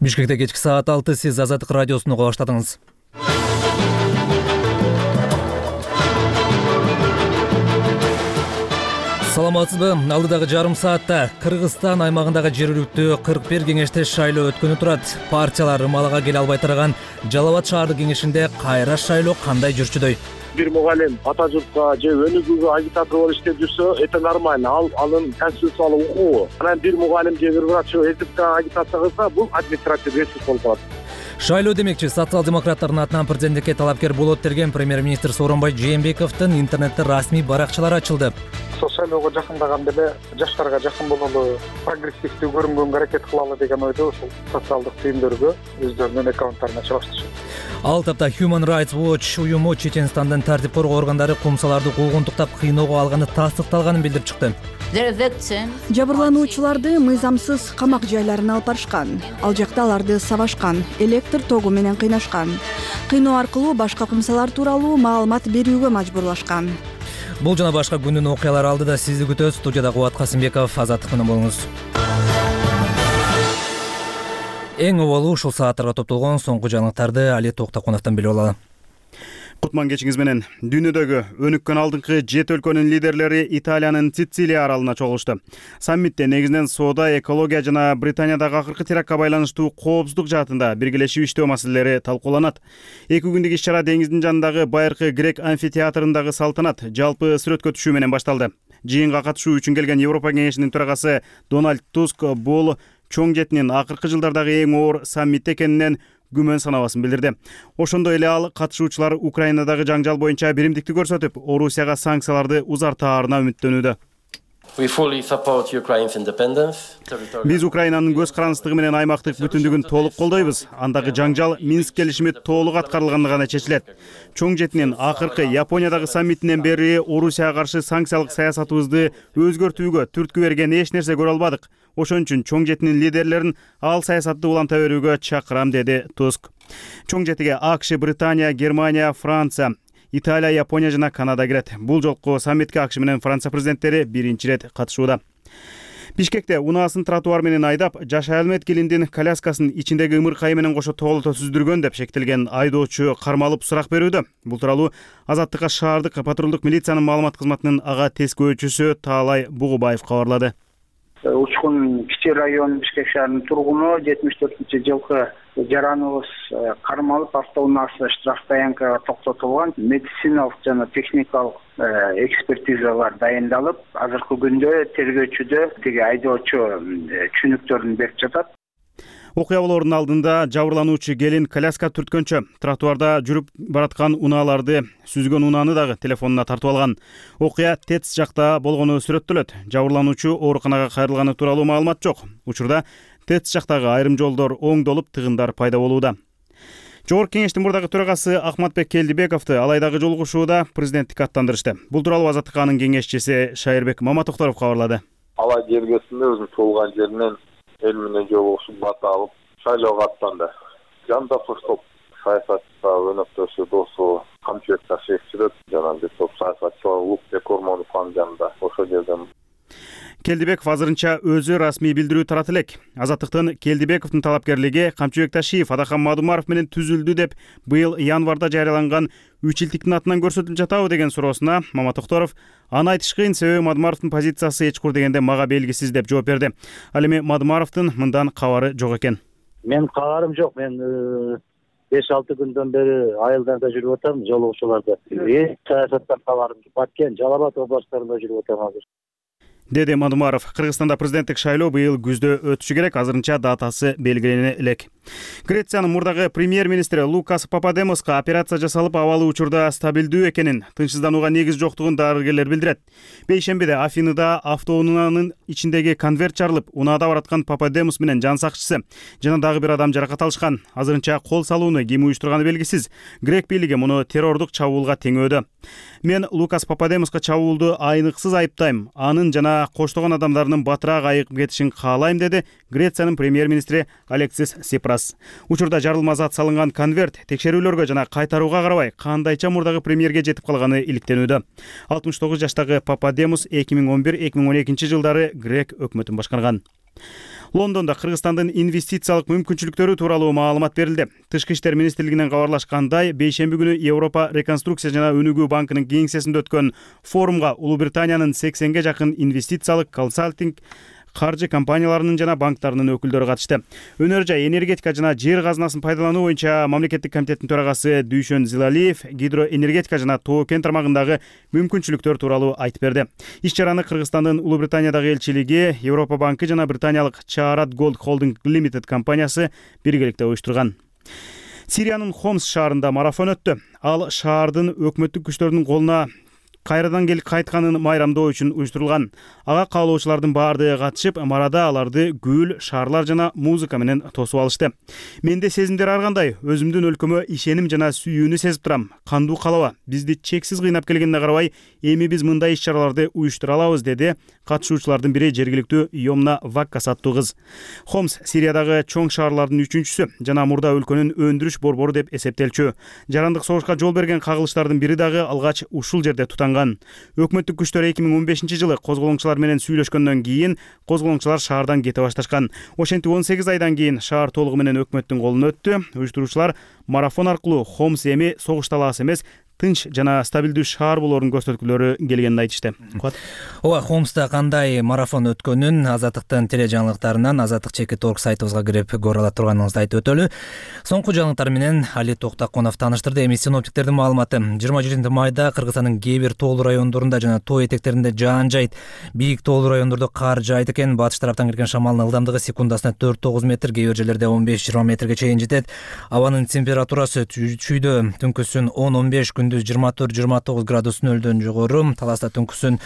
Бишкекте кечки саат 6 сиз Азаттык радиосуну уга баштадыңыз. Саламатсызбы? Алдыдагы жарым саатта Кыргызстан аймагындагы жергиликтүү 41 кеңеште шайлоо өткөнү турат. Партиялар ымалага келе албай турган Жалал Абад шаардык кеңешинде кайра шайлоо кандай жүрчүдөй? Бир мугалим ата журтка же өнүгүүгө агитатор болуп иштеп жүрсө, это нормально. Анын конституциялык укугу. Анан бир мугалим же бир врач этикага агитация кылса, бул административдик ресурс болуп калат. Шайлоо демекчи, социал-демократтардын атынан президенттикке талапкер болот деген премьер-министр Сооронбай Жээнбековдун интернетте расмий баракчалары ачылды. Шайлоого жакындаганда эле жаштарга жакын бололу, прогрессивдүү көрүнгөнгө аракет кылалы деген ойдо ушул социалдык түйүндөргө өздөрүнүн аккаунттарына чыгыштышат. Ал тапта Human Rights Watch уюму Чеченстандын тартип коргоо органдары кумсаларды куугунтуктап кыйноого алганы тастыкталганын билдирип чыкты. Жабырлануучуларды мыйзамсыз камак жайларына алып барышкан. Ал жакта аларды сабашкан, электр тогу менен кыйнашкан. Кыйноо аркылуу башка кумсалар тууралуу маалымат берүүгө мажбурлашкан. Бул жана башка күндүн окуялары алдыда сизди күтөбүз. Студияда Кубат Касымбеков, Азаттык менен болуңуз. Эң оболу ушул сааттарга топтолгон соңку жаңылыктарды Али Токтокуновдон билип алалы. Кутман кечиңиз менен. Дүйнөдөгү өнүккөн алдыңкы 7 өлкөнүн лидерлери Италиянын Сицилия аралына чогулушту. Саммитте негизинен соода, экология жана Британиядагы акыркы терактка байланыштуу коопсуздук жаатында биргелешип иштөө маселелери талкууланат. 2 күндүк иш-чара деңиздин жанындагы байыркы грек амфитеатрындагы салтанат жалпы сүрөткө түшүү менен башталды. Жыйынга катышуу үчүн келген Европа кеңешинин төрагасы Дональд Туск бул чоң жетинин акыркы жылдардагы эң оор саммит экенинен күмөн санабасын билдирди. Ошондой эле ал катышуучулар Украинадагы жаңжал боюнча биримдикти көрсөтүп, Орусияга санкцияларды узартаарына үмүттөнүүдө. Биз Украинанын көз карандысыздыгы менен аймактык бүтүндүгүн толук колдойбуз. Андагы жаңжал Минск келишими толук аткарылганда гана чечилет. Чоң жетинин акыркы Япониядагы саммитинен бери Орусияга каршы санкциялык саясатыбызды өзгөртүүгө түрткү берген эч нерсе көрө албадык. Ошон үчүн чоң жетинин лидерлерин ал саясатты уланта берүүгө чакырам, деди Туск. Чоң жетиге АКШ, Британия, Германия, Франция, Италия, Япония жана Канада кирет. Бул жолку саммитке АКШ менен Франция президенттери биринчи ирет катышууда. Бишкекте унаасын тротуар менен айдап, жашай алмайт келиндин коляскасын ичиндеги ымыркайы менен кошо тоолото сүздүргөн деп шектелген айдоочу кармалып сурак берүүдө. Бул тууралуу Азаттыкка шаардык патрулдук милициянын маалымат кызматынын ага тескөөчүсү Таалай Бугубаев кабарлады. Учкун Кичи район Бишкек шаарынын тургуну 74-жылкы жараныбыз кармалып, автоунаасы штраф таянкага токтотулган. Медициналык жана техникалык экспертизалар дайындалып, азыркы күндө тергөөчүдө тиги айдоочу түшүнүктөрүн берип жатат. Окуя болоордун алдында жабырлануучу келин коляска түрткөнчө тротуарда жүрүп бараткан унааларды сүзгөн унааны дагы телефонуна тартып алган. Окуя ТЭЦ жакта болгону сүрөттөлөт. Жабырлануучу ооруканага кайрылганы тууралуу маалымат жок. Учурда ТЭЦ жактагы айрым жолдор оңдолуп, тыгындар пайда болууда. Жогорку кеңештин мурдагы төрагасы Ахматбек Келдибековду алайдагы жолугушууда президенттикке аттандырышты. Бул тууралуу Азаттыканын кеңешчиси Шайырбек Маматокторов кабарлады. Алай жергесинде өзүнүн туулган жеринен эл менен жолугушуп бата алып, шайлоого аттанды. Жанда топ саясатта өнөктөшү досу Камчыбек Ташевчилер жана бир топ саясатчылар Улукбек Ормоновдун жанында ошол жерден. Келдибеков азырынча өзү расмий билдирүү тарат элек. Азаттыктын Келдибековдун талапкерлиги Камчыбек Ташиев, Адакан Мадумаров менен түзүлдү деп быйыл январда жарыяланган 3 илтиктин атынан көрсөтүлүп жатабы деген суроосуна Маматокторов аны айтыш кыйын, себеби Мадумаровдун позициясы эчкур дегенде мага белгисиз деп жооп берди. Ал эми Мадумаровдун мындан кабары жок экен. Мен кабарым жок. Мен 5-6 күндөн бери айылдарда жүрүп атам, жолугушууларда. Саясаттан кабарым бар экен. Жалал Абад областарында жүрүп атам азыр, деди Мадумаров. Кыргызстанда президенттик шайлоо быйыл күздө өтүшү керек, азырынча датасы белгилене элек. Грециянын мурдагы премьер-министри Лукас Пападемоска операция жасалып, абалы учурда стабилдүү экенин, тынчсызданууга негиз жоктугун дарыгерлер билдирет. Бейшембиде Афиныда автоунаанын ичиндеги конверт жарылып, унаада бараткан Пападемос менен жан сакчысы жана дагы бир адам жаракат алышкан. Азырынча кол салууну ким уюштурганы белгисиз. Грек бийлиги муну террордук чабуулга теңөөдө. Мен Лукас Пападемоска чабуулду айныксыз айыптайм. Анын жана коштогон адамдарынын батыраак айыгып кетишин каалайм, деди Грециянын премьер-министри Алексис Сипрас. Учурда жарылма зат салынган конверт текшерүүлөргө жана кайтарууга карабай кандайча мурдагы премьерге жетип калганы иликтенүүдө. 69 жаштагы Пападемос 2011-2012 жылдары Грек өкмөтүн башкарган. Лондондо Кыргызстандын инвестициялык мүмкүнчүлүктөрү тууралуу маалымат берилди. Тышкы иштер министрлигинен кабарлашкандай, бейшемби күнү Европа реконструкция жана өнүгүү банкынын кеңсесинде өткөн форумга Улуу Британиянын 80ге жакын инвестициялык, консалтинг, каржы компанияларынын жана банктарынын өкүлдөрү катышты. Өнөр жай, энергетика жана жер казынасын пайдалануу боюнча мамлекеттик комитеттин төрагасы Дүйшөн Зилалиев гидроэнергетика жана тоо кен тармагындагы мүмкүнчүлүктөр тууралуу айтып берди. Иш чараны Кыргызстандын Улуу Британиядагы элчилиги, Европа банкы жана британиялык Чаарат Голд Холдинг Limited компаниясы биргеликте уюштурган. Сириянын Хомс шаарында марафон өттү. Ал шаардын өкмөттүк күчтөрдүн колуна кайрадан келип кайтканын майрамдоо үчүн уюштурулган. Ага каалоочулардын баардыгы катышып, марада аларды гүл, шаарлар жана музыка менен тосуп алышты. Менде сезимдер ар кандай, өзүмдүн өлкөмө ишеним жана сүйүүнү сезип турам. Кандуу калаба, бизди чексиз кыйнап келгенине карабай, эми биз мындай иш-чараларды уюштура алабыз, деди катышуучулардын бири жергиликтүү Йомна Ваккас аттуу кыз. Хомс Сириядагы чоң шаарлардын 3-үчүсү жана мурда өлкөнүн өндүрүш борбору деп эсептелчү. Жарандык согушка жол берген кагылыштардын бири дагы алгач ушул жерде тутанган. Өкмөттүк күчтөр 2015-жылы козголоңчулар менен сүйлөшкөндөн кийин козголоңчулар шаардан кете башташкан. Ошентип 18 айдан кийин шаар толугу менен өкмөттүн колуна өттү. Уюштуруучулар марафон аркылуу Хомс эми согуш талаасы эмес, тынч жана стабилдүү шаар болоорун көрсөткүлөрү келгенин айтышты. Ооба, Хомста кандай марафон өткөнүн Азаттыктын теле жаңылыктарынан azattik.org сайтыбызга кирип көрө ала турганыңызды айтып өтөлү. Соңку жаңылыктар менен Али Токтаконов тааныштырды. Эми синоптиктердин маалыматы. 27-майда Кыргызстандын кээ бир тоолуу райондорунда жана тоо этектеринде жаан жайт. Бийик тоолуу райондордо кар жайт экен. Батыш тараптан келген шамалдын ылдамдыгы секундасына 4-9 метр, кээ бир жерлерде 15-20 метрге чейин жетет. Абанын температурасы чүйдө түнкүсүн 10-15, күндүз 24-29 градус нөлдөн жогору. Таласта түнкүсүн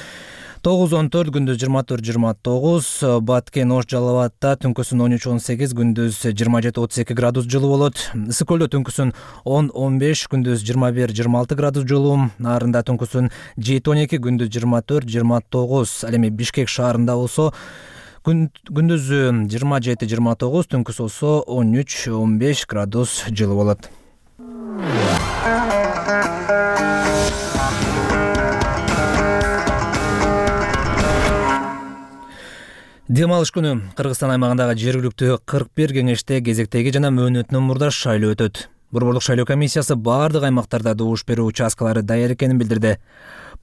9-14, күндүз 24-29, Баткен Ош Жалал Абадта түнкүсүн 13-18, күндүз 27-32 градус жылуу болот. Ысык көлдө түнкүсүн 10-15, күндүз 21-26 градус жылуу. Нарында түнкүсүн 7-12, күндүз 24-29. Ал эми Бишкек шаарында болсо күндүз 27-29, түнкүс болсо 13-15 градус жылуу болот. Дем алыш күнү Кыргызстан аймагындагы жергиликтүү 41 кеңеште кезектеги жана мөөнөтүнөн мурда шайлоо өтөт. Борборлук шайлоо комиссиясы баардык аймактарда добуш берүү участкалары даяр экенин билдирди.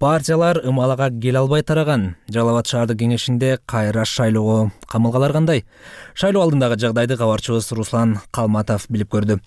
Партиялар ымалага келе албай тараган. Жалал Абад шаардык кеңешинде кайра шайлоого камылгалар кандай? Шайлоо алдындагы жагдайды кабарчыбыз Руслан Калматов билип көрдү.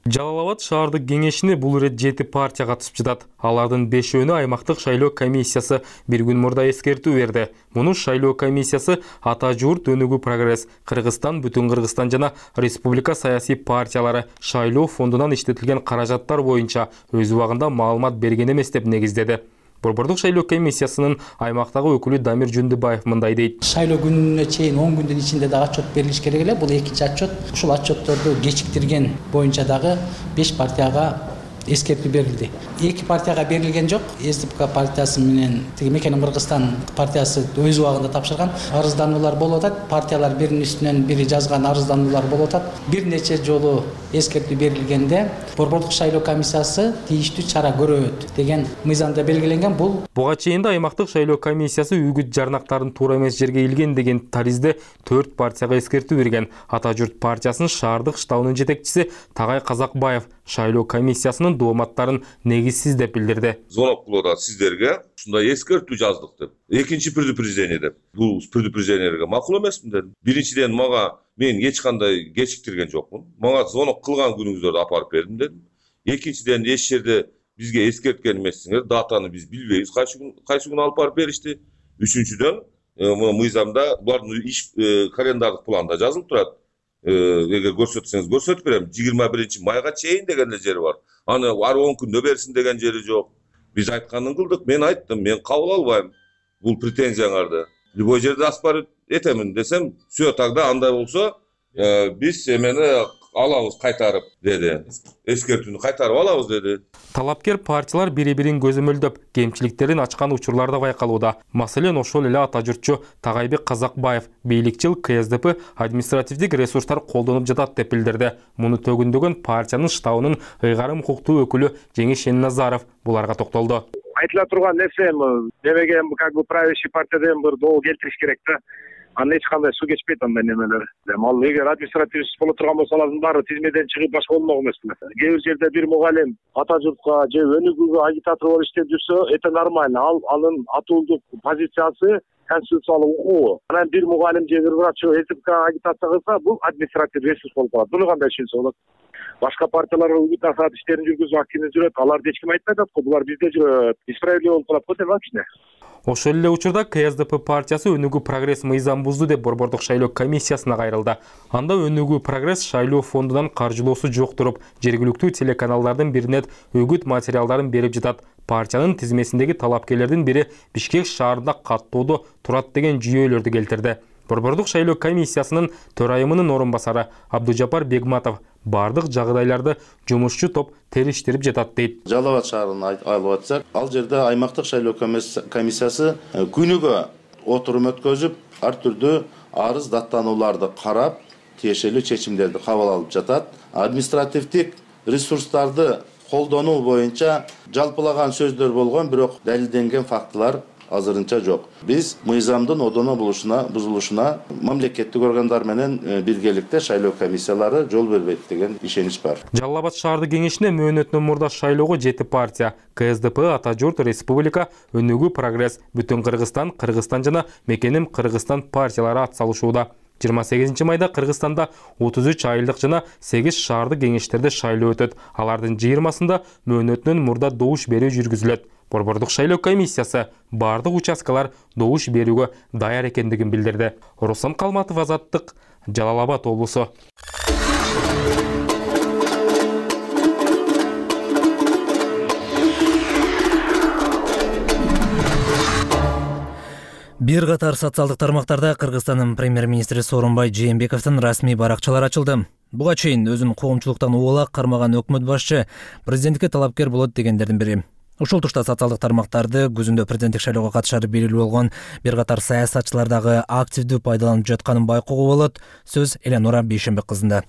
Жалал Абад шаардык кеңешине бул ирет 7 партия катышып жатат. Алардын 5-өөнү аймактык шайлоо комиссиясы бир күн мурда эскертүү берди. Муну шайлоо комиссиясы Ата журт, Өнүгүү, Прогресс, Кыргызстан, Бүтүн Кыргызстан жана Республика саясий партиялары шайлоо фондунан иштетилген каражаттар боюнча өз убагында маалымат берген эмес деп негиздеди. Борборлук шайлоо комиссиясынын аймактагы өкүлү Дамир Жөндүбаев мындай дейт. Шайлоо күнүнө чейин 10 күндүн ичинде дагы отчет берилиш керек эле. Бул экинчи отчет. Ушул отчетторду кечиктирген боюнча дагы 5 партияга эскертүү берилди. 2 партияга берилген жок. СДПК партиясы менен Мекенин Кыргызстан партиясы өз убагында тапшырган. Арыздануулар болуп атат. Партиялар биринин үстүнөн бири жазган арыздануулар болуп атат. Бир нече жолу эскертүү берилгенде Борборлук шайлоо комиссиясы тийиштүү чара көрөт деген мыйзамда белгиленген. Буга чейин да аймактык шайлоо комиссиясы үгүт жарнактарын туура эмес жерге илген деген таризде 4 партияга эскертүү берген. Ата журт партиясынын шаардык штабынын жетекчиси Тагай Казакбаев шайлоо комиссиясынын дооматтарын негизсиз деп билдирди. Зоноклода сиздерге ушундай эскертүү жаздык деп. Экинчи предупреждение деп. Бул предупреждениеге макул эмесмин дедим. Биринчиден мага мен эч кандай кечиктирген жокмун. Мага звонок кылган күнүңүздөрдү апарып бердим дедим. Экинчиден эч жерде бизге эскерткен эмессиңер, датаны биз билбейбиз, кайсы күн алып барып беришти. Үчүнчүдөн мыйзамда булардын иш календардык планда жазылып турат. Эгер көрсөтсөңүз көрсөтүп берем. 21-майга чейин деген жери бар. Аны ар 10 күндө берсин деген жери жок. Биз айтканын кылдык. Мен айттым, мен кабыл албайм бул претензияңарды. Любой жерде аспар этемин десем, все тогда андай болсо, биз эмени алабыз кайтарып деди. Эскертүүнү кайтарып алабыз деди. Талапкер партиялар бири-бирин көзөмөлдөп, кемчиликтерин ачкан учурларда байкалууда. Маселен, ошол эле ата журтчу Тагайбек Казакбаев бийликчил КСДП административдик ресурстар колдонуп жатат деп билдирди. Муну төгүндөгөн партиянын штабынын ыйгарым укуктуу өкүлү Жеңиш Шенназаров буларга токтолду. Айтыла турган нерсе, демеген как бы правящий партиядан бир доо келтириш керек да. Андан эч кандай суу кечпейт андай немелер. Ал эгер административный иш боло турган болсо алардын баары тизмеден чыгып башка болмок эмеспи. Кээ бир жерде бир мугалим ата журтка же өнүгүүгө агитатор болуп иштеп жүрсө, это нормально. Анын атуулдук позициясы конституциялык укугу. Анан бир мугалим же бир врач СДПК агитация кылса, бул административный ресурс болуп калат. Буну кандай түшүнсө болот? Башка партиялар үгүт насаат иштерин жүргүзүп активдүү жүрөт. Аларды эч ким айтпай атат го. Булар бизде жүрөт. Несправедливо болуп калат го деп кичине. Ошол эле учурда КСДП партиясы Өнүгүү прогресс мыйзам бузду деп Борбордук шайлоо комиссиясына кайрылды. Анда Өнүгүү прогресс шайлоо фондунан каржылоосу жок туруп, жергиликтүү телеканалдардын бирине үгүт материалдарын берип жатат. Партиянын тизмесиндеги талапкерлердин бири Бишкек шаарында каттоодо турат деген жүйөлөрдү келтирди. Борбордук шайлоо комиссиясынын төрайымынын орун басары Абдужапар Бегматов бардык жагдайларды жумушчу топ териштирип жатат дейт. Жалал Абад шаарына алып атсак, ал жерде аймактык шайлоо комиссиясы күнүгө отурум өткөзүп, ар түрдүү арыз даттанууларды карап, тиешелүү чечимдерди кабыл алып жатат. Административдик ресурстарды колдонуу боюнча жалпылаган сөздөр болгон, бирок далилденген фактылар азырынча жок. Биз мыйзамдын одоно бузулушуна мамлекеттик органдар менен биргеликте шайлоо комиссиялары жол бербейт деген ишенич бар. Жалал Абад шаардык кеңешине мөөнөтүнөн мурда шайлоого 7 партия КСДП, Ата журт, Республика, Өнүгүү прогресс, Бүтүн Кыргызстан, Кыргызстан жана Мекеним Кыргызстан партиялары ат салышууда. 28 майда Кыргызстанда 33 айылдык жана 8 шаардык кеңештерде шайлоо өтөт. Алардын 20-сында мөөнөтүнөн мурда добуш берүү жүргүзүлөт. Борбордук шайлоо комиссиясы бардык участкалар добуш берүүгө даяр экендигин билдирди. Руслан Калматов, Азаттык, Жалал Абад облусу. Бир катар социалдык тармактарда Кыргызстандын премьер-министри Сооронбай Жээнбековдун расмий баракчалары ачылды. Буга чейин өзүн коомчулуктан убалак кармаган өкмөт башчы президенттикке талапкер болот дегендердин бири. Ушул тушта социалдык тармактарды күзүндө президенттик шайлоого катышары белгилүү болгон бир катар саясатчылар дагы активдүү пайдаланып жатканын байкоого болот. Сөз Эленора Бейшенбек кызында.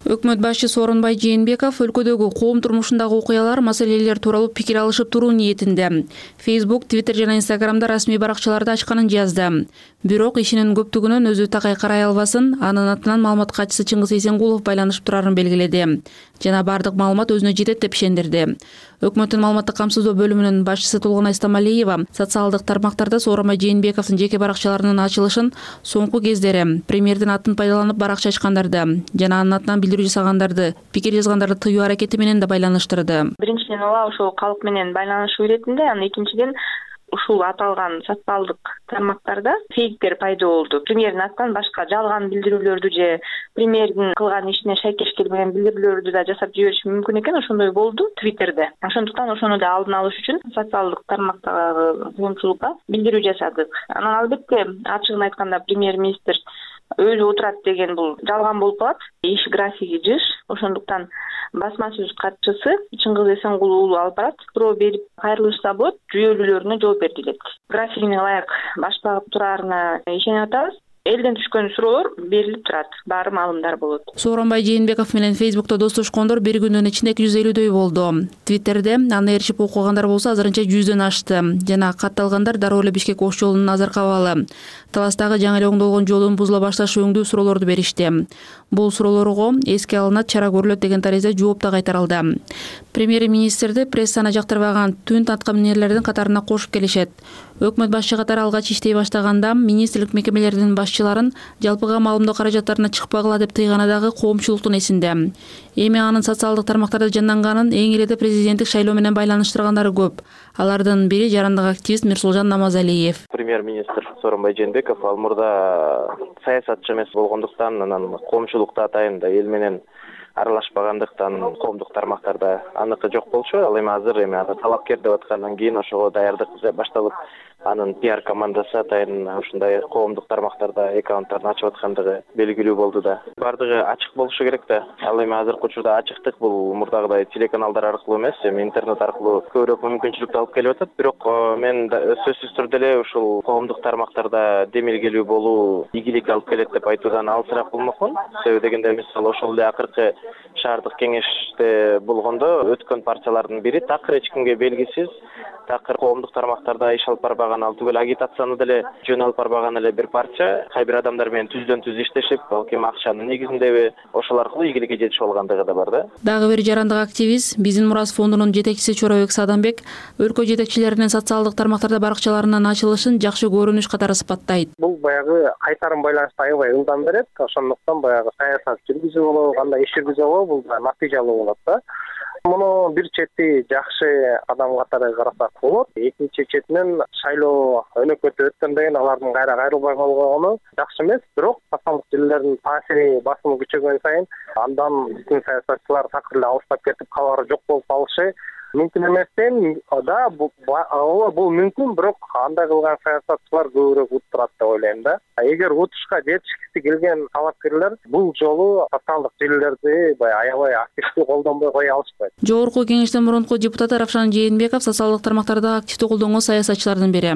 Өкмөт башчы Сооронбай Жээнбеков өлкөдөгү коом турмушундагы окуялар, маселелер тууралуу пикир алышып туруу ниетинде. Facebook, Twitter жана Instagramда расмий баракчаларды ачканын жазды. Бирок ишинин көптүгүнөн өзү такай карай албасын, анын атынан маалымат катчысы Чыңгыз Эсенгулов байланышып турарын белгиледи. Жана бардык маалымат өзүнө жетет деп ишендирди. Өкмөттүн маалыматтык камсыздоо бөлүмүнүн башчысы Тулгунай Стамалиева социалдык тармактарда Сооронбай Жээнбековдун жеке баракчаларынын ачылышын соңку кездери премьердин атын пайдаланып баракча ачкандарды жана анын атынан билдирүү жасагандарды, пикир жазгандарды тыюу аракети менен да байланыштырды. Биринчиден ошол калк менен байланышуу иретинде, анан экинчиден ушул аталган социалдык тармактарда фейктер пайда болду. Премьердин атынан башка жалган билдирүүлөрдү же премьердин кылган ишине шайкеш келбеген билдирүүлөрдү да жасап жибериши мүмкүн экен. Ошондой болду Twitterде. Ошондуктан ошону да алдын алыш үчүн социалдык тармактагы коомчулукка билдирүү жасадык. Анан албетте ачыгын айтканда премьер-министр өзү отурат деген бул жалган болуп калат. Иш графиги жыш. Ошондуктан басма сөз катчысы Чыңгыз Эсенгул уулу алып барат. Суроо берип кайрылышса болот, жүйөлүүлөрүнө жооп бердилет. Графигине ылайык башталып тураарына ишенип атабыз. Элден түшкөн суроолор берилип турат, баары маалымдар болот. Сооронбай Жээнбеков менен Facebook'та достошкондор бир күндүн ичинде 250дөй болду. Twitter'де аны эришип окугандар болсо азырынча 100дөн ашты. Жана катталгандар дароо эле Бишкек Ош жолунун азыркы абалы. Таластагы жаңы эле оңдолгон жолдун бузула башташы өңдүү суроолорду беришти. Бул суроолорго эске алынат, чара көрүлөт деген таризде жооп да кайтарылды. Премьер-министрди прессаны жактырбаган түн таткаминерлердин катарына кошуп келишет. Өкмөт башчы катары алгач иштей баштаганда министрлик мекемелеринин башчыларын жалпыга маалымдоо каражаттарына чыкпагыла деп тыйганы дагы коомчулуктун эсинде. Эми анын социалдык тармактарда жанданганын эң эле президенттик шайлоо менен байланыштыргандары көп. Алардын бири жарандык активист Мирсулжан Намазалиев. Премьер-министр Сооронбай Жээнбеков ал мурда саясатчы эмес болгондуктан, анан коомчулукта атайын да эл менен аралашпагандыктан коомдук тармактарда аныкы жок болчу. Ал эми азыр аны талапкер деп аткандан кийин ошого даярдык башталып, анын пиар командасы атайын ушундай коомдук тармактарда аккаунттарын ачып аткандыгы белгилүү болду да. Бардыгы ачык болушу керек да. Ал эми азыркы учурда ачыктык бул мурдагыдай телеканалдар аркылуу эмес, эми интернет аркылуу көбүрөөк мүмкүнчүлүктү алып келип атат. Бирок мен сөзсүз түрдө эле ушул коомдук тармактарда демилгелүү болуу ийгилик алып келет деп айтуудан алысыраак болмокмун. Себеби дегенде мисалы ошол эле акыркы шаардык кеңеште болгондо өткөн партиялардын бири такыр эч кимге белгисиз, такыр коомдук тармактарда иш алып барбаган барбаган, ал түгөл агитацияны деле жөн алып барбаган эле бир парча кай бир адамдар менен түздөн түз иштешип, балким акчанын негизиндеби ошол аркылуу ийгиликке жетишип алгандыгы да бар да. Дагы бир жарандык активист, Биздин Мурас фондунун жетекчиси Чорабек Садамбек өлкө жетекчилеринин социалдык тармактарда баракчаларынын ачылышын жакшы көрүнүш катары сыпаттайт. Бул баягы кайтарым байланышты аябай ылдам берет. Ошондуктан баягы саясат жүргүзүү болобу, кандай иш жүргүзүү болобу, бул натыйжалуу болот да. Муну бир чети жакшы адам катары карасак болот. Экинчи четинен шайлоо өнөкөтүп өткөндөн кийин алардын кайра кайрылбай калганы жакшы эмес. Бирок социалдык желилердин таасири, басымы күчөгөн сайын андан биздин саясатчылар такыр эле алыстап кетип, кабары жок болуп калышы мүмкүн эместен да. Бул мүмкүн, бирок андай кылган саясатчылар көбүрөөк утурат деп ойлойм да. Эгер утушка жетишкиси келген талапкерлер бул жолу социалдык желилерди аябай активдүү колдонбой кое алышпайт. Жогорку кеңештин мурунку депутаты Равшан Жээнбеков социалдык тармактарда активдүү колдонгон саясатчылардын бири.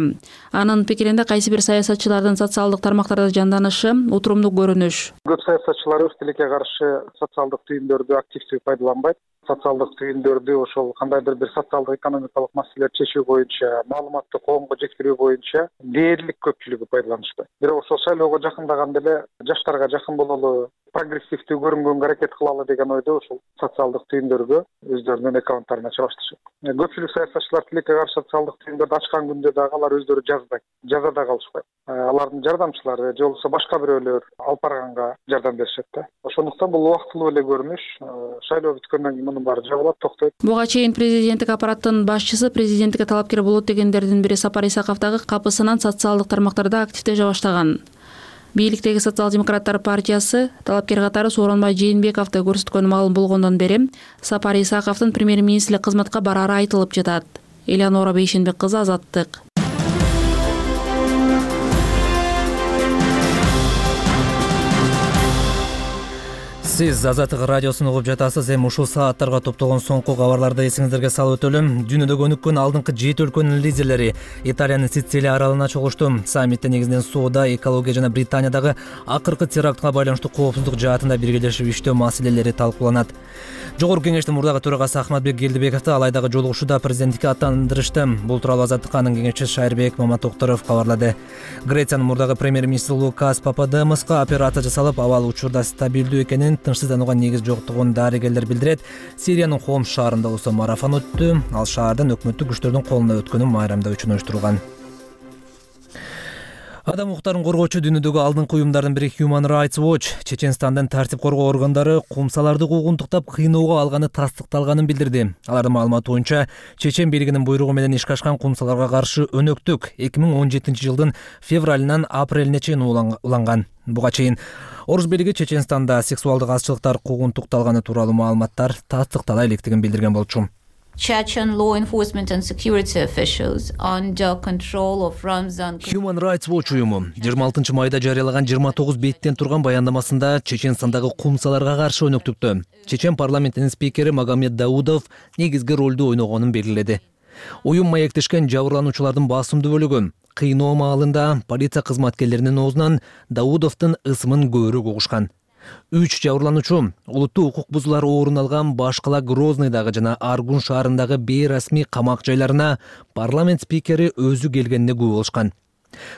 Анын пикиринде кайсы бир саясатчылардын социалдык тармактарда жанданышы утурумдуу көрүнүш. Көп саясатчылар өз тилекке каршы социалдык түйүндөрдү активдүү пайдаланбайт. Социалдык түйүндөрдү ошол кандайдыр бир социалдык экономикалык маселелерди чечүү боюнча, маалыматты коомго жеткирүү боюнча дээрлик көпчүлүгү пайдаланышпайт. Бирок ошол шайлоого жакындаганда эле жаштарга жакын бололу, прогрессивдүү көрүнгөнгө аракет кылалы деген ойдо ошол социалдык түйүндөргө өздөрүнүн аккаунттарын ача башташат. Көпчүлүк саясатчылар тилекке каршы социалдык түйүндөрдү ачкан күндө дагы алар өздөрү жазбайт, жаза да калышпайт. Алардын жардамчылары же болбосо башка бирөөлөр алып барганга жардам беришет да. Ошондуктан бул убактылуу эле көрүнүш. Шайлоо бүткөндөн кийин мунун баары жабылат, токтойт. Буга чейин президенттик аппараттын башчысы президенттикке талапкер болот дегендердин бири Сапар Исаков дагы капысынан социалдык тармактарда активдеше баштаган. Бийликтеги Социал-демократтар партиясы талапкер катары Сооронбай Жээнбековду көрсөткөнү маалым болгондон бери Сапар Исаковдун премьер-министрлик кызматка барары айтылып жатат. Элеонора Бейшенбек кызы, Азаттык. Сиз Азаттык радиосун угуп жатасыз. Эми ушул сааттарга топтолгон соңку кабарларды эсиңиздерге салып өтөлүм. Дүйнөдө өнүккөн алдыңкы 7 өлкөнүн лидерлери Италиянын Сицилия аралына чогулушту. Саммитте негизинен соода, экология жана Британиядагы акыркы терактка байланыштуу коопсуздук жаатында биргелешип иштөө маселелери талкууланат. Жогорку кеңештин мурдагы төрагасы Ахматбек Келдибековду алайдагы жолугушууда президенттикке аттандырышты. Бул тууралуу Азаттыкка анын кеңешчиси Шайырбек Маматокторов кабарлады. Грециянын мурдагы премьер-министри Лукас Пападемоска операция жасалып, абал учурда стабилдүү экенин, тынчсызданууга негиз жоктугун дарыгерлер билдирет. Сириянын Хомс шаарында болсо марафон өттү. Ал шаардан өкмөттүк күчтөрдүн колуна өткөнүн майрамдоо үчүн уюштурулган. Адам укуктарын коргоочу дүйнөдөгү алдыңкы уюмдардын бири Human Rights Watch Чеченстандын тартип коргоо органдары кумсаларды куугунтуктап кыйноого алганы тастыкталганын билдирди. Алардын маалыматы боюнча чечен бийлигинин буйругу менен ишке ашкан кумсаларга каршы өнөктүк 2017-жылдын февралынан апрелине чейин уланган. Буга чейин Орус бийлиги Чеченстанда сексуалдык азчылыктар куугунтукталганы тууралуу маалыматтар тастыктала электигин билдирген болчу. Chechen law enforcement and security officials under control of Ramzan. Human Rights Watch уюму 26 майда жарыялаган 29 беттен турган баяндамасында Чеченстандагы кумсаларга каршы өнөктүктө Чечен парламентинин спикери Магомед Даудов негизги ролду ойногонун белгиледи. Уюм маектешкен жабырлануучулардын басымдуу бөлүгү кыйноо маалында полиция кызматкерлеринин оозунан Даудовдун ысымын көбүрөөк угушкан. 3 жабырлануучу улуттуу укук бузуулар орун алган Башкала, Грозныйдагы жана Аргун шаарындагы бейрасмий камак жайларына парламент спикери өзү келгенине күбө болушкан.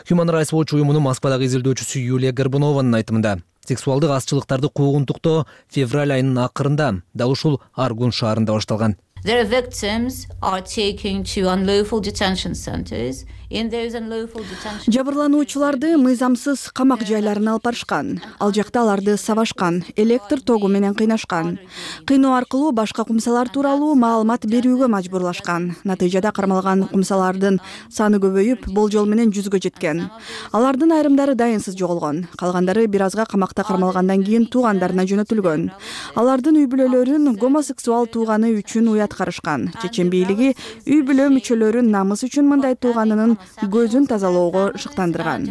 Human Rights Watch уюмунун Москвадагы изилдөөчүсү Юлия Горбунованын айтымында сексуалдык азчылыктарды куугунтуктоо февраль айынын акырында дал ушул Аргун шаарында башталган. Their victims are taken to unlawful detention centers. In those unlawful detention. Жабырлануучуларды мыйзамсыз камак жайларына алып барышкан. Ал жакта аларды сабашкан, электр тогу менен кыйнашкан. Кыйноо аркылуу башка кумсалар тууралуу маалымат берүүгө мажбурлашкан. Натыйжада кармалган кумсалардын саны көбөйүп, болжол менен 100гө жеткен. Алардын айрымдары дайынсыз жоголгон. Калгандары бир азга камакта кармалгандан кийин туугандарына жөнөтүлгөн. Алардын үй бүлөлөрүн гомосексуал тууганы үчүн уяткарышкан. Чечен бийлиги үй бүлө мүчөлөрүн намыс үчүн мындай тууганынын көзүн тазалоого шыктандырган.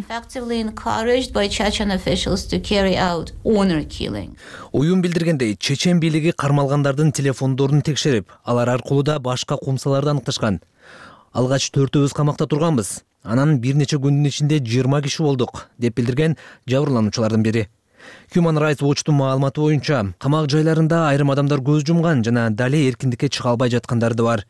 Уюм билдиргендей, чечен бийлиги кармалгандардын телефондорун текшерип, алар аркылуу да башка кумсаларды аныкташкан. Алгач 4-өбүз камакта турганбыз. Анан бир нече күндүн ичинде 20 киши болдук, деп билдирген жабырлануучулардын бири. Human Rights Watch'тун маалыматы боюнча, камак жайларында айрым адамдар көз жумган жана дале эркиндикке чыга албай жаткандары да бар.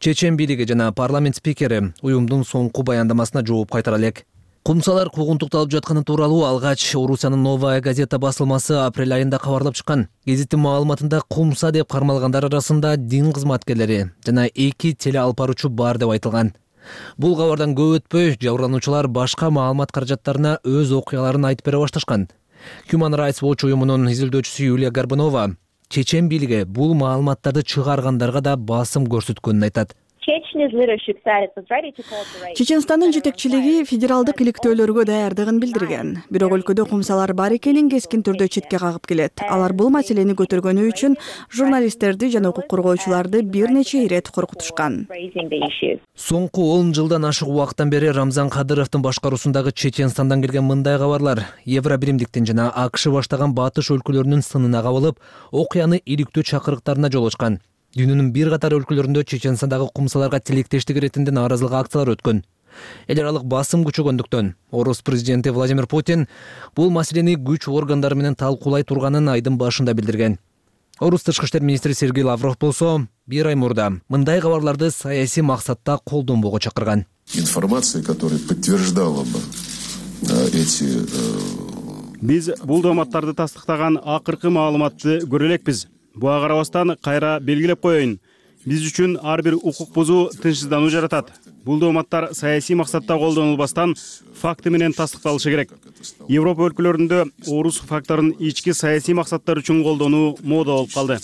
Чечен бийлиги жана парламент спикери уюмдун соңку баяндамасына жооп кайтара элек. Кумсалар куугунтукталып жатканы тууралуу алгач Орусиянын Новая газета басылмасы апрель айында кабарлап чыккан. Гезиттин маалыматында кумса деп кармалгандар арасында дин кызматкерлери жана 2 теле алып баруучу бар деп айтылган. Бул кабардан көп өтпөй жабырлануучулар башка маалымат каражаттарына өз окуяларын айтып бере башташкан. Human Rights Watch уюмунун изилдөөчүсү Юлия Горбунова чечен бийлиги бул маалыматтарды чыгаргандарга да басым көрсөткөнүн айтат. Чеченстандын жетекчилиги федералдык иликтөөлөргө даярдыгын билдирген. Бирок өлкөдө кумсалар бар экенин кескин түрдө четке кагып келет. Алар бул маселени көтөргөнү үчүн журналисттерди жана укук коргоочуларды бир нече ирет коркутушкан. Соңку 10 жылдан ашык убакыттан бери Рамзан Кадыровдун башкаруусундагы Чеченстандан келген мындай кабарлар Евробиримдиктин жана АКШ баштаган батыш өлкөлөрүнүн сынына кабылып, окуяны иликтөө чакырыктарына жол ачкан. Дүйнөнүн бир катар өлкөлөрүндө Чеченстандагы кумсаларга тилектештик иретинде нааразылык акциялары өткөн. Эл аралык басым күчөгөндүктөн Орус президенти Владимир Путин бул маселени күч органдары менен талкуулай турганын айдын башында билдирген. Орус тышкы иштер министри Сергей Лавров болсо, бир ай мурда мындай кабарларды саясий максатта колдонбоого чакырган. Информация, которая подтверждала бы эти Биз бул дооматтарды тастыктаган акыркы маалыматты көрө элекпиз. Буга карабастан кайра белгилеп коеюн. Биз үчүн ар бир укук бузуу тынчсыздануу жаратат. Бул дооматтар саясий максатта колдонулбастан факты менен тастыкталышы керек. Европа өлкөлөрүндө орус факторун ички саясий максаттар үчүн колдонуу мода болуп калды.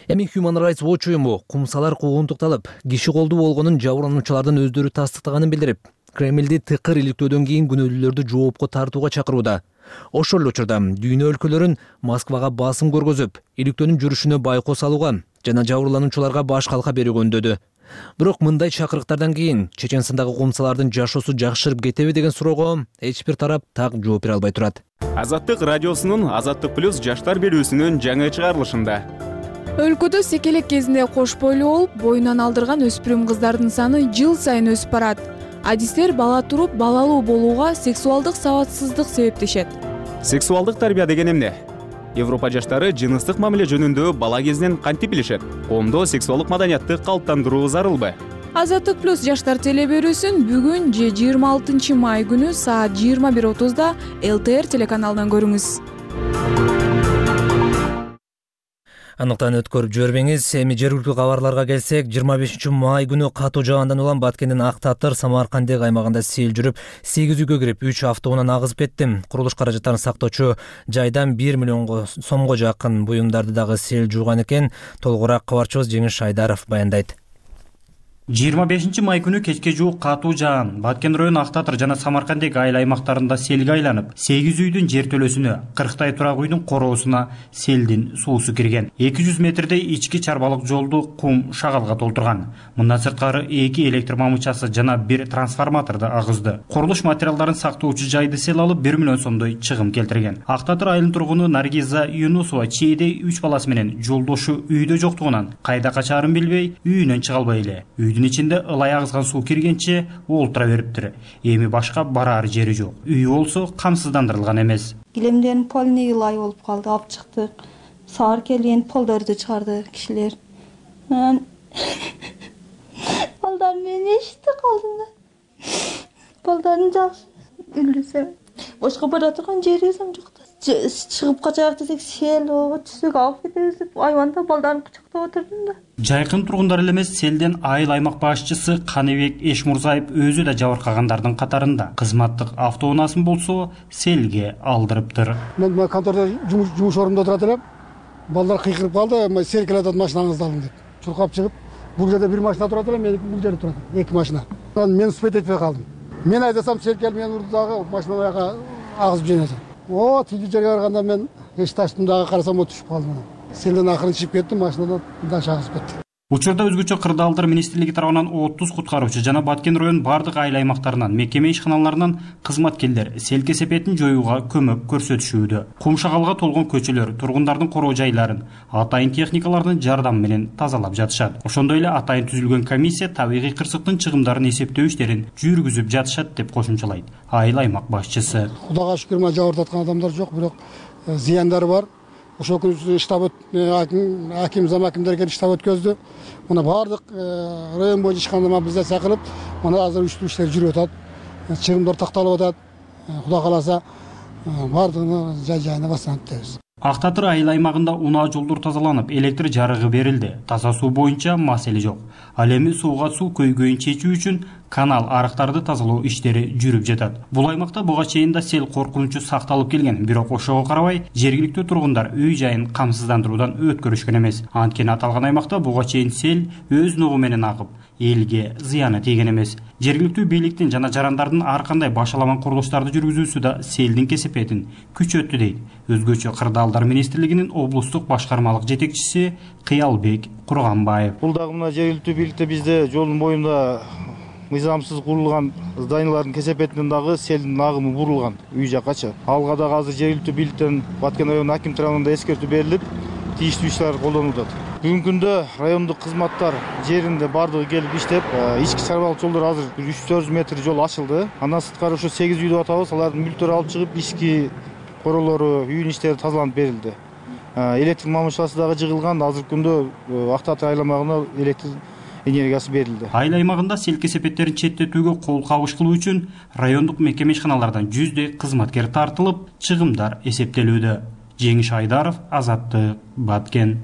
Эми Human Rights Watch уюму кумсалар куугунтукталып, киши колдуу болгонун жабырлануучулардын өздөрү тастыктаганын билдирип, Кремлди тыкыр иликтөөдөн кийин күнөөлүүлөрдү жоопко тартууга чакырууда. Ошол эле учурда дүйнө өлкөлөрүн Москвага басым көргөзүп, иликтөөнүн жүрүшүнө байкоо салууга жана жабырлануучуларга баш калка берүүгө үндөдү. Бирок мындай чакырыктардан кийин Чеченстандагы кумсалардын жашоосу жакшырып кетеби деген суроого эч бир тарап так жооп бере албай турат. Азаттык радиосунун Азаттык плюс жаштар берүүсүнүн жаңы чыгарылышында өлкөдө секелек кезинде кош бойлуу болуп, боюнан алдырган өспүрүм кыздардын саны жыл сайын өсүп барат. Адистер бала туруп балалуу болууга сексуалдык сабатсыздык себептешет. Сексуалдык тарбия деген эмне? Европа жаштары жыныстык мамиле жөнүндө бала кезинен кантип билишет? Коомдо сексуалдык маданиятты калыптандыруу зарылбы? Азаттык плюс жаштар теле берүүсүн бүгүн же 26 май күнү саат 21:30 ЛТР телеканалынан көрүңүз. Аныктан өткөрүп жибербеңиз. Эми жергиликтүү кабарларга келсек, 25 май күнү катуу жагандан улам Баткендин Ак Татыр Самаркандек аймагында сел жүрүп, 8 үйгө кирип, 3 автоунан агызып кетти. Курулуш каражаттарын сактоочу жайдан 1 миллион сомго жакын буюмдарды дагы сел жууган экен. Толугураак кабарчыбыз Жеңиш Шайдаров баяндайт. 25 май күнү кечке жуук катуу жаан Баткен району Ак Татыр жана Самаркандек айыл аймактарында селге айланып, 8 үйдүн жертөлөсүнө, 40 турак үйдүн короосуна селдин суусу кирген. 200 метрдей ички чарбалык жолду кум шагалга толтурган. Мындан сырткары 2 электр мамычасы жана 1 трансформаторду агызды. Курулуш материалдарын сактоочу жайды сел алып 1 миллион сомдой чыгым келтирген. Ак Татыр айылынын тургуну Наргиза Юнусова чейде 3 баласы менен жолдошу үйдө жоктугунан кайда качаарын билбей, үйүнөн чыга албай эле. Үйдүн ичинде ылай агызган суу киргенче олтура бериптир. Эми башка барар жери жок. Үйү болсо камсыздандырылган эмес. Килемден полный ылай болуп калды, алып чыктык. Саар келген полдорду чыгарды кишилер. Балдар мен эшитти калдым да. Балдарын жакшы үлдүсөм. Башка бара турган жерибиз жок да. Чыгып качак десек сел түшүк алып кетебиз деп айванда балдарын кучактап отурдум да. Жайкын тургундар эле эмес, селден айыл аймак башчысы Каныбек Эшмурзаев өзү да жабыркагандардын катарында. Кызматтык автоунаасын болсо селге алдырыптыр. Мен контордо жумуш орунда турат элем. Балдар кыйкырып калды, сел келатат, машинаңызды алың деп. Чуркап чыгып, бул жерде бир машина турат эле, мен бул жерде турат. 2 машина. Мен успеть этпей калдым. Мен айдасам сел келип мени урду дагы машинага агызып жөнөдү. Тиги жерге барганда мен эч таштым дагы, карасам түшүп калдым. Селден акырын чыгып кеттим, машинадан даш агызып кетти. Учурда өзгөчө кырдаалдар министрлиги тарабынан 30 куткаруучу жана Баткен районунун бардык айыл аймактарынан, мекеме ишканаларынан кызматкерлер сел кесепетин жоюуга көмөк көрсөтүшүүдө. Кум шагалга толгон көчөлөр, тургундардын короо жайларын атайын техникалардын жардамы менен тазалап жатышат. Ошондой эле атайын түзүлгөн комиссия табигый кырсыктын чыгымдарын эсептөө иштерин жүргүзүп жатышат деп кошумчалайт айыл аймак башчысы. Кудайга шүкүр, жабыр таткан адамдар жок, бирок зыяндары бар. ошол күнү штаб аким зам акимдер келип штаб өткөздү. Мына баардык район боюнча ишканда мобилизация кылып, мына азыр уюштуруу иштери жүрүп атат. Чыгымдар такталып атат. Кудай кааласа баардыгына жай-жайына басат дейбиз. Ак Татыр айыл аймагында унаа жолдор тазаланып, электр жарыгы берилди. Таза суу боюнча маселе жок. Ал эми сууга суу көйгөйүн чечүү үчүн канал арыктарды тазалоо иштери жүрүп жатат. Бул аймакта буга чейин да сел коркунучу сакталып келген, бирок ошого карабай жергиликтүү тургундар үй жайын камсыздандыруудан өткөрүшкөн эмес. Анткени аталган аймакта буга чейин сел өз ногу менен агып, элге зыяны тийген эмес. Жергиликтүү бийликтин жана жарандардын ар кандай башаламан курулуштарды жүргүзүүсү да селдин кесепетин күчөттү дейт Өзгөчө Кырдаалдар министрлигинин облустук башкармалык жетекчиси Кыялбек Курганбаев. Бул дагы мына жергиликтүү бийликте бизде жолдун боюнда мыйзамсыз курулган зданиялардын кесепетинен дагы селдин агымы бурулган үй жаккачы. Алга дагы азыр жергиликтүү бийликтен Баткен району аким тарабынан эскертүү берилип, тийиштүү иш-чаралар колдонулуп атат. Бүгүнкү күндө райондук кызматтар жеринде бардыгы келип иштеп, ички чарбалык жолдор азыр 300-400 метр жол ачылды. Андан сырткары ошо 8 үйдү атабыз, алардын мүлктөрү алып чыгып, ички королору, үйүн иштери тазаланып берилди. Электр мамышасы дагы жыгылган, азыркы күндө Ак Татыр айыл аймагына электр энергиясы берилди. Айыл аймагында сел кесепеттерин четтетүүгө кол кабыш кылуу үчүн райондук мекеме ишканалардан 100 кызматкер тартылып, чыгымдар эсептелүүдө. Жеңиш Айдаров, Азаттык, Баткен.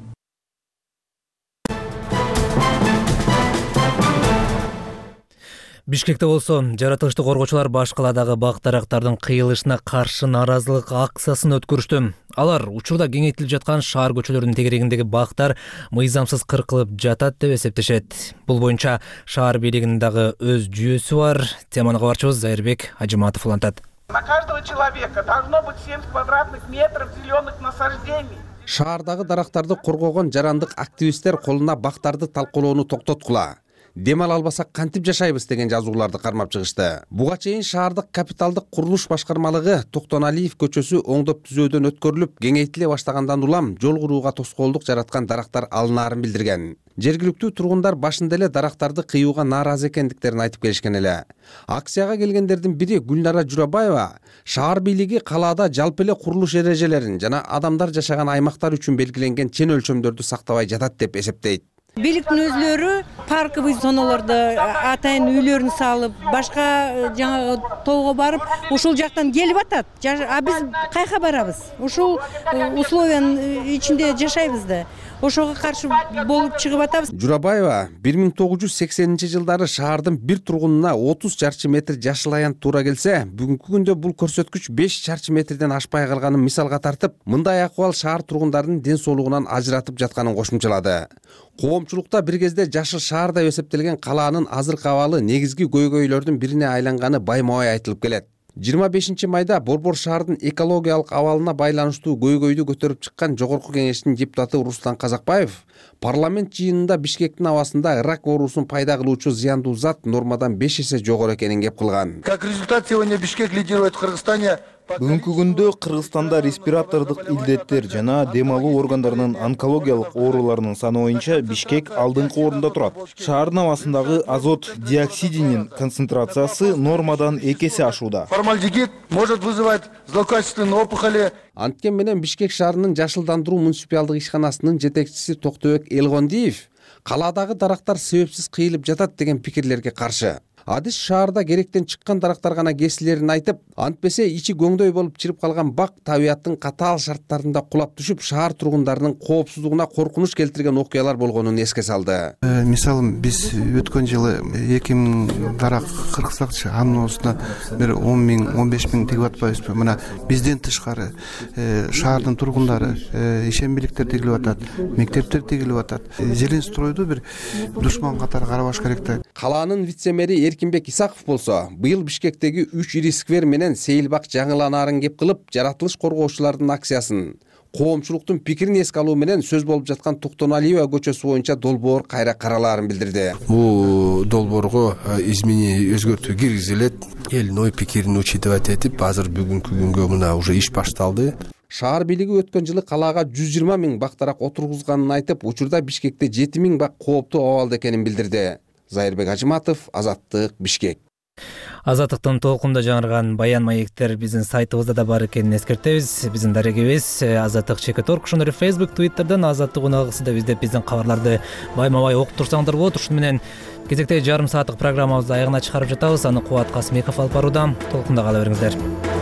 Бишкекте болсо жаратылышты коргоочулар баш каладагы бак-дарактардын кыйылышына каршы нааразылык акциясын өткөрүштү. Алар учурда кеңейтилип жаткан шаар көчөлөрүнүн тегерегиндеги бактар мыйзамсыз кыркылып жатат деп эсептешет. Бул боюнча шаар бийлигинин дагы өз жүйөсү бар. Теманы кабарчыбыз Зайырбек Ажиматов улантат. На каждого человека должно быть 7 квадратных метров зеленых насаждений. Шаардагы дарактарды коргогон жарандык активисттер колуна бактарды талкуулоону токтоткула. Демал албасак кантип жашайбыз деген жазууларды кармап чыгышты. Буга чейин шаардык капиталдык курулуш башкармалыгы Токтоналиев көчөсү оңдоп түзөөдөн өткөрүлүп, кеңейтиле баштагандан улам жол курууга тоскоолдук жараткан дарактар алынаарын билдирген. Жергиликтүү тургундар башында эле дарактарды кыюуга нааразы экендиктерин айтып келишкен эле. Акцияга келгендердин бири Гүлнара Журабаева шаар бийлиги калаада жалпы эле курулуш эрежелерин жана адамдар жашаган аймактар үчүн белгиленген чен өлчөмдөрдү сактабай жатат деп эсептейт. Бийликтин өзлөрү парковый зоналарда атайын үйлөрүн салып, башка жаңа тоого барып, ушул жактан келип атат. А биз кайка барабыз? Ушул условиянын ичинде жашайбыз да. Ошого каршы болуп чыгып атабыз. Журабаева 1980-жылдары шаардын бир тургунуна 30 чарчы метр жашыл аян туура келсе, бүгүнкү күндө бул көрсөткүч 5 чарчы метрден ашпай калганын мисалга тартып, мындай акыбал шаар тургундарынын ден соолугунан ажыратып жатканын кошумчалады. Коомчулукта бир кезде жашыл шаар деп эсептелген калаанын азыркы абалы негизги көйгөйлөрдүн бирине айланганы байма-бай айтылып келет. 25 майда Борбор шаардын экологиялык абалына байланыштуу көйгөйдү көтөрүп чыккан Жогорку кеңештин депутаты Руслан Казакбаев парламент жыйынында Бишкектин абасында рак оорусун пайда кылуучу зыяндуу зат нормадан 5 эсе жогору экенин кеп кылган. Как результат, сегодня Бишкек лидирует в Кыргызстане. Бүгүнкү күндө Кыргызстанда респиратордук илдеттер жана дем алуу органдарынын онкологиялык ооруларынын саны боюнча Бишкек алдыңкы орунда турат. Шаардын абасындагы азот диоксидинин концентрациясы нормадан 2 эсе ашууда. Формальдегид может вызывать злокачественные опухоли. Анткени менен Бишкек шаарынын жашылдандыруу муниципалдык ишканасынын жетекчиси Токтобек Элгондиев калаадагы дарактар себепсиз кыйылып жатат деген пикирлерге каршы. Адис шаарда керектен чыккан дарактар гана кесилерин айтып, антпесе ичи көңдөй болуп чырып калган бак табиаттын катаал шарттарында кулап түшүп, шаар тургундарынын коопсуздугуна коркунуч келтирген окуялар болгонун эске салды. Мисалы биз өткөн жылы 2000 дарак кырксакчы, анын осуна бир 10 миң, 15 миң тигип атпайбызбы? Мына бизден тышкары шаардын тургундары ишенбиликтер тигилип атат, мектептер тигилип атат. Зеленстройду бир душман катары карабаш керек да. Калаанын вице-мэри Эркинбек Исаков болсо, быйыл Бишкектеги 3 ири сквер менен сейилбак жаңыланаарын кеп кылып, жаратылыш коргоочулардын акциясын, коомчулуктун пикирин эске алуу менен сөз болуп жаткан Токтоналиева көчөсү боюнча долбоор кайра каралаарын билдирди. Бул долбоорго изменение өзгөртүү киргизилет, элдин ой пикирин учитывать этип, азыр бүгүнкү күнгө мына уже иш башталды. Шаар бийлиги өткөн жылы калаага 120 миң бактарак отургузганын айтып, учурда Бишкекте 7 миң бак кооптуу абалда экенин билдирди. Зайырбек Ажиматов, Азаттык, Бишкек. Азаттыктын толкунда жаңырган баян маектер биздин сайтыбызда да бар экенин эскертебиз. Биздин дарегибиз azattik.org, ошондой эле Facebook, Twitter'дан Азаттык уналгысы деп издеп биздин кабарларды байма-бай окуп турсаңдар болот. Ушуну менен кезектеги жарым сааттык программабызды аягына чыгарып жатабыз. Аны Кубат Касымбеков алып барууда. Толкунда кала бериңиздер.